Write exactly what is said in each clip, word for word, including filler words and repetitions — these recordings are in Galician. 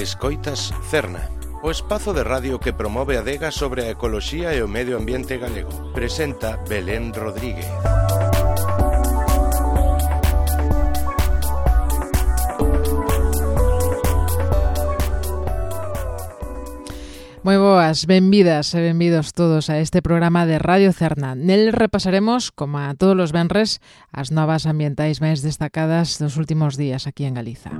Escoitas Cerna, o espazo de radio que promove a adega sobre a ecoloxía e o medio ambiente galego. Presenta Belén Rodríguez. Moi boas, benvidas e benvidos todos a este programa de Radio Cerna. Nel repasaremos, como a todos os venres, as novas ambientais máis destacadas dos últimos días aquí en Galiza.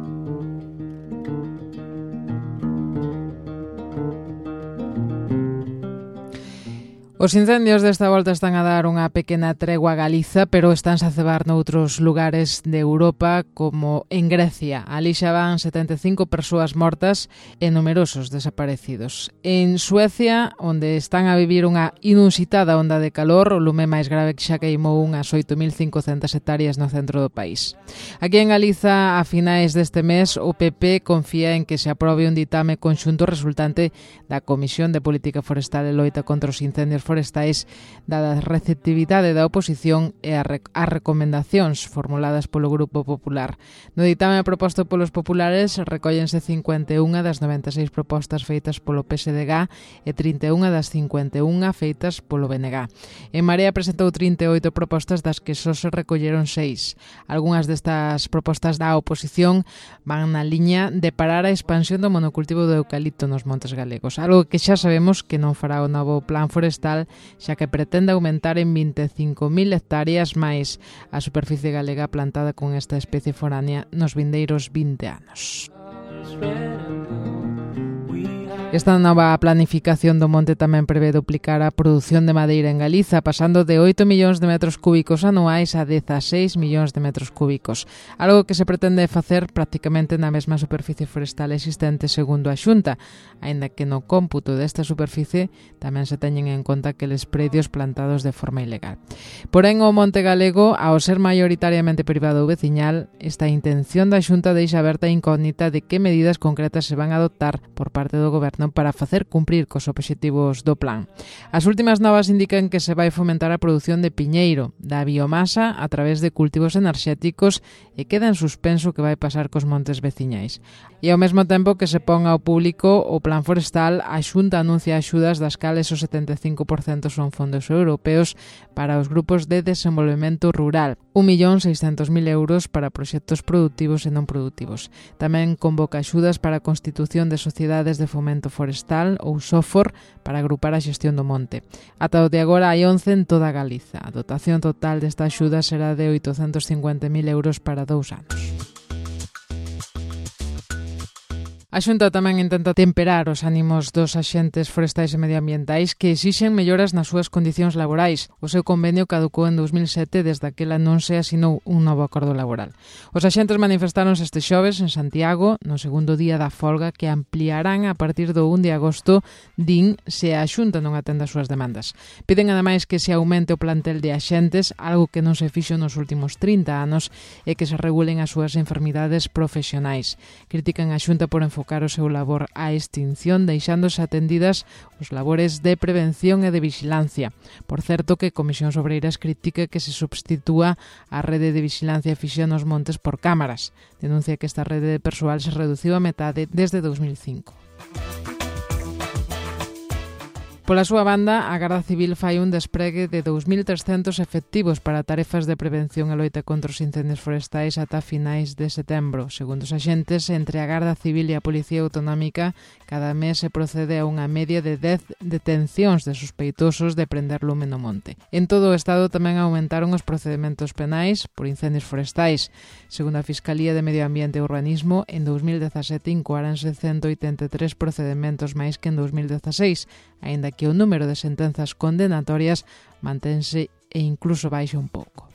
Os incendios desta volta están a dar unha pequena tregua a Galiza, pero estánse a cebar noutros lugares de Europa, como en Grecia. Ali xa van setenta e cinco persoas mortas e numerosos desaparecidos. En Suecia, onde están a vivir unha inusitada onda de calor, o lume máis grave que xa queimou unhas oito mil cincocentas hectáreas no centro do país. Aquí en Galiza, a finais deste mes, o P P confía en que se aprobe un ditame conxunto resultante da Comisión de Política Forestal e Loita contra os Incendios Forestais, dada a receptividade da oposición e as recomendacións formuladas polo Grupo Popular. No ditame proposto polos populares recóllense cincuenta e unha das noventa e seis propostas feitas polo P S D G e trinta e unha das cincuenta e unha feitas polo B N G. En Marea presentou trinta e oito propostas, das que só se recolleron seis. Algúnas destas propostas da oposición van na liña de parar a expansión do monocultivo do eucalipto nos montes galegos, algo que xa sabemos que non fará o novo plan forestal, xa que pretende aumentar en vinte e cinco mil hectáreas máis a superficie galega plantada con esta especie foránea nos vindeiros vinte anos. Esta nova planificación do monte tamén prevé duplicar a produción de madeira en Galiza, pasando de oito millóns de metros cúbicos anuais a dezaseis millóns de metros cúbicos, algo que se pretende facer prácticamente na mesma superficie forestal existente segundo a Xunta, aínda que no cómputo desta superficie tamén se teñen en conta aqueles predios plantados de forma ilegal. Porén, o monte galego, ao ser maioritariamente privado ou veciñal, esta intención da Xunta deixa aberta a incógnita de que medidas concretas se van a adoptar por parte do goberno para facer cumprir cos obxectivos do plan. As últimas novas indican que se vai fomentar a produción de piñeiro, da biomasa a través de cultivos enerxéticos, e queda en suspenso que vai pasar cos montes veciñais. E ao mesmo tempo que se pon ao público o plan forestal, a Xunta anuncia axudas das cales o setenta e cinco por cento son fondos europeos para os grupos de desenvolvemento rural, un millón seiscentos mil euros para proxectos productivos e non productivos. Tamén convoca axudas para a constitución de sociedades de fomento forestal ou SOFOR para agrupar a xestión do monte. Ata o de agora hai once en toda Galiza. A dotación total desta axuda será de oitocentos cincuenta mil euros para dous anos. A Xunta tamén intenta temperar os ánimos dos axentes forestais e medioambientais que exixen melloras nas súas condicións laborais. O seu convenio caducou en dous mil sete, desde aquela non se asinou un novo acordo laboral. Os axentes manifestáronse este xoves en Santiago, no segundo día da folga, que ampliarán a partir do un de agosto, din, se a Xunta non atende as súas demandas. Piden ademais que se aumente o plantel de axentes, algo que non se fixo nos últimos trinta anos, e que se regulen as súas enfermidades profesionais. Critican a Xunta por enfocar o seu labor á extinción, deixándose atendidas os labores de prevención e de vixilancia. Por certo, que Comisións Obreiras critica que se substitúa a rede de vixilancia fixa nos montes por cámaras. Denuncia que esta rede de persoal se reduciu a metade desde dous mil cinco. Pola súa banda, a Garda Civil fai un despregue de dous mil trescentos efectivos para tarefas de prevención e loita contra os incendios forestais ata finais de setembro. Segundo os axentes, entre a Garda Civil e a Policía Autonómica, cada mes se procede a unha media de dez detencións de sospeitosos de prender lume no monte. En todo o Estado tamén aumentaron os procedementos penais por incendios forestais. Segundo a Fiscalía de Medio Ambiente e Urbanismo, en dous mil dezasete incoáranse cento oitenta e tres procedementos máis que en dous mil dezaseis, aínda que o número de sentenzas condenatorias mantense e incluso baixa un pouco.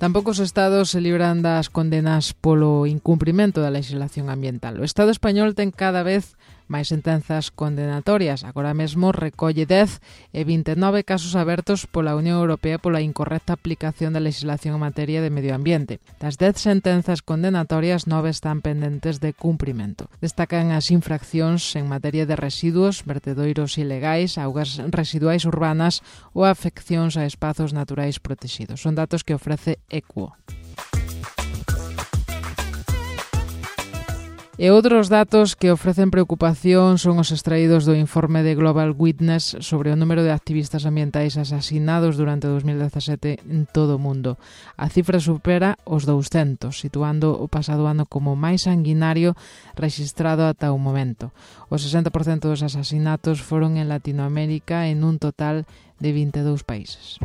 Tampouco os estados se libran das condenas polo incumprimento da legislación ambiental. O Estado español ten cada vez máis sentenzas condenatorias. Agora mesmo recolle dez e vinte e nove casos abertos pola Unión Europea pola incorrecta aplicación da legislación en materia de medio ambiente. Das dez sentenzas condenatorias, nove están pendentes de cumprimento. Destacan as infraccións en materia de residuos, vertedoiros ilegais, augas residuais urbanas ou afeccións a espazos naturais protegidos. Son datos que ofrece Equo. E outros datos que ofrecen preocupación son os extraídos do informe de Global Witness sobre o número de activistas ambientais asasinados durante dos mil dezasete en todo o mundo. A cifra supera os douscentos, situando o pasado ano como máis sanguinario rexistrado ata o momento. O sesenta por cento dos asasinatos foron en Latinoamérica en un total de vinte e dous países.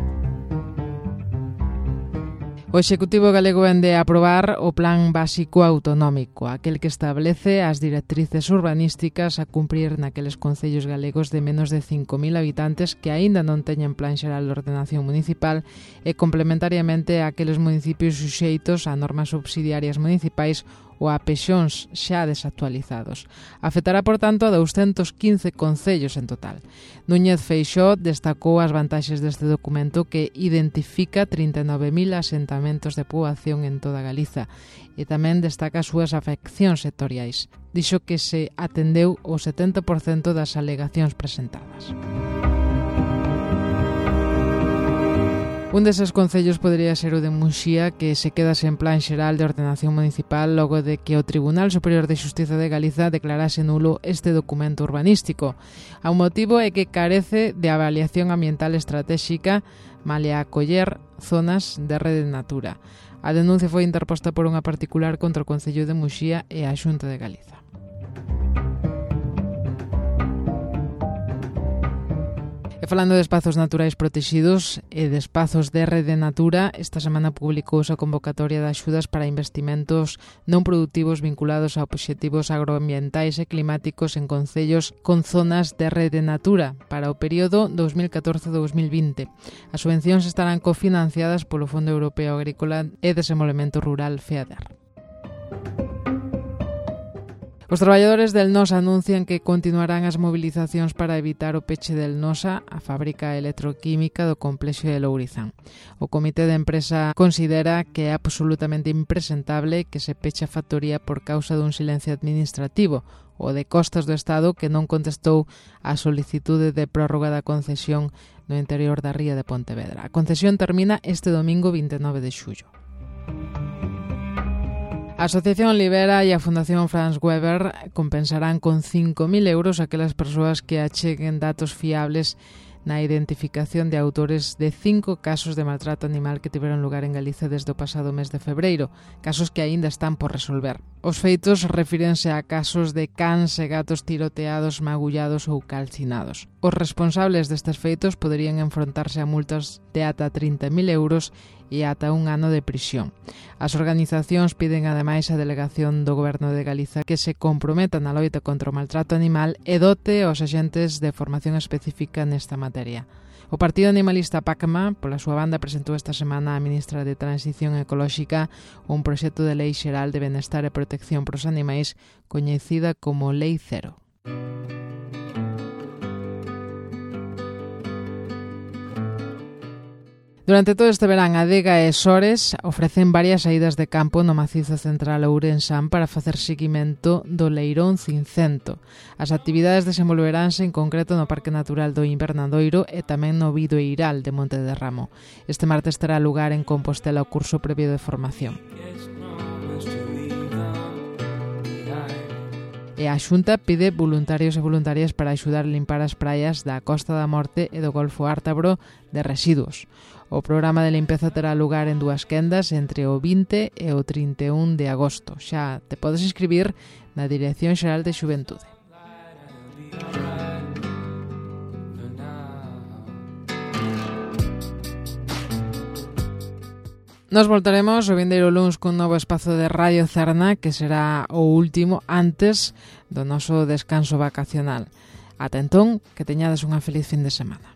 O Executivo galego vende a aprobar o Plan Básico Autonómico, aquel que establece as directrices urbanísticas a cumprir naqueles concellos galegos de menos de cinco mil habitantes que aínda non teñen plan xeral de ordenación municipal e complementariamente a aqueles municipios suxeitos a normas subsidiarias municipais ou a pexóns xa desactualizados. Afectará, por tanto, a douscentos quince concellos en total. Núñez Feixóo destacou as vantaxes deste documento que identifica trinta e nove mil asentamentos de poboación en toda Galiza e tamén destaca as súas afeccións sectoriais. Dixo que se atendeu o setenta por cento das alegacións presentadas. Un deses concellos podría ser o de Muxía, que se queda sen plan xeral de ordenación municipal logo de que o Tribunal Superior de Xustiza de Galiza declarase nulo este documento urbanístico. O motivo é que carece de avaliación ambiental estratéxica malia acoller zonas de rede natura. A denuncia foi interposta por unha particular contra o Concello de Muxía e a Xunta de Galiza. E falando de espazos naturais protegidos e de espazos de rede natura, esta semana publicouse a convocatoria de axudas para investimentos non produtivos vinculados a obxectivos agroambientais e climáticos en concellos con zonas de rede natura para o período dos mil catorce a dos mil vinte. As subvencións estarán cofinanciadas polo Fondo Europeo Agrícola e Desenvolvemento Rural FEADER. Os traballadores del Nosa anuncian que continuarán as movilizacións para evitar o peche del Nosa, a fábrica electroquímica do complexo de Lourizán. O comité de empresa considera que é absolutamente impresentable que se peche a factoría por causa dun silencio administrativo, o de Costas do Estado, que non contestou a solicitude de prórroga da concesión no interior da ría de Pontevedra. A concesión termina este domingo vinte e nove de xullo. A Asociación Libera e a Fundación Franz Weber compensarán con cinco mil euros aquelas persoas que acheguen datos fiables na identificación de autores de cinco casos de maltrato animal que tiveron lugar en Galiza desde o pasado mes de febreiro, casos que aínda están por resolver. Os feitos refírense a casos de cans e gatos tiroteados, magullados ou calcinados. Os responsables destes feitos poderían enfrontarse a multas de ata trinta mil euros e ata un ano de prisión. As organizacións piden ademais a delegación do Goberno de Galiza que se comprometa na loita contra o maltrato animal e dote aos axentes de formación específica nesta materia. O Partido Animalista PACMA, pola súa banda, presentou esta semana á ministra de Transición Ecolóxica un proxecto de lei xeral de benestar e protección pros animais coñecida como Lei Cero. Durante todo este verán, Adega e Sores ofrecen varias saídas de campo no macizo central ourensán para facer seguimento do leirón cincento. As actividades desenvolveránse en concreto no Parque Natural do Invernadoiro e tamén no Bidoeiral de Monte de Ramo. Este martes terá lugar en Compostela o curso previo de formación. E a Xunta pide voluntarios e voluntarias para axudar a limpar as praias da Costa da Morte e do Golfo Ártabro de residuos. O programa de limpeza terá lugar en dúas quendas entre o vinte e o trinta e un de agosto. Xa te podes inscribir na Dirección Xeral de Xuventude. Nos voltaremos o vindeiro luns cun novo espazo de Radio Cerna, que será o último antes do noso descanso vacacional. Ata entón, que teñades unha feliz fin de semana.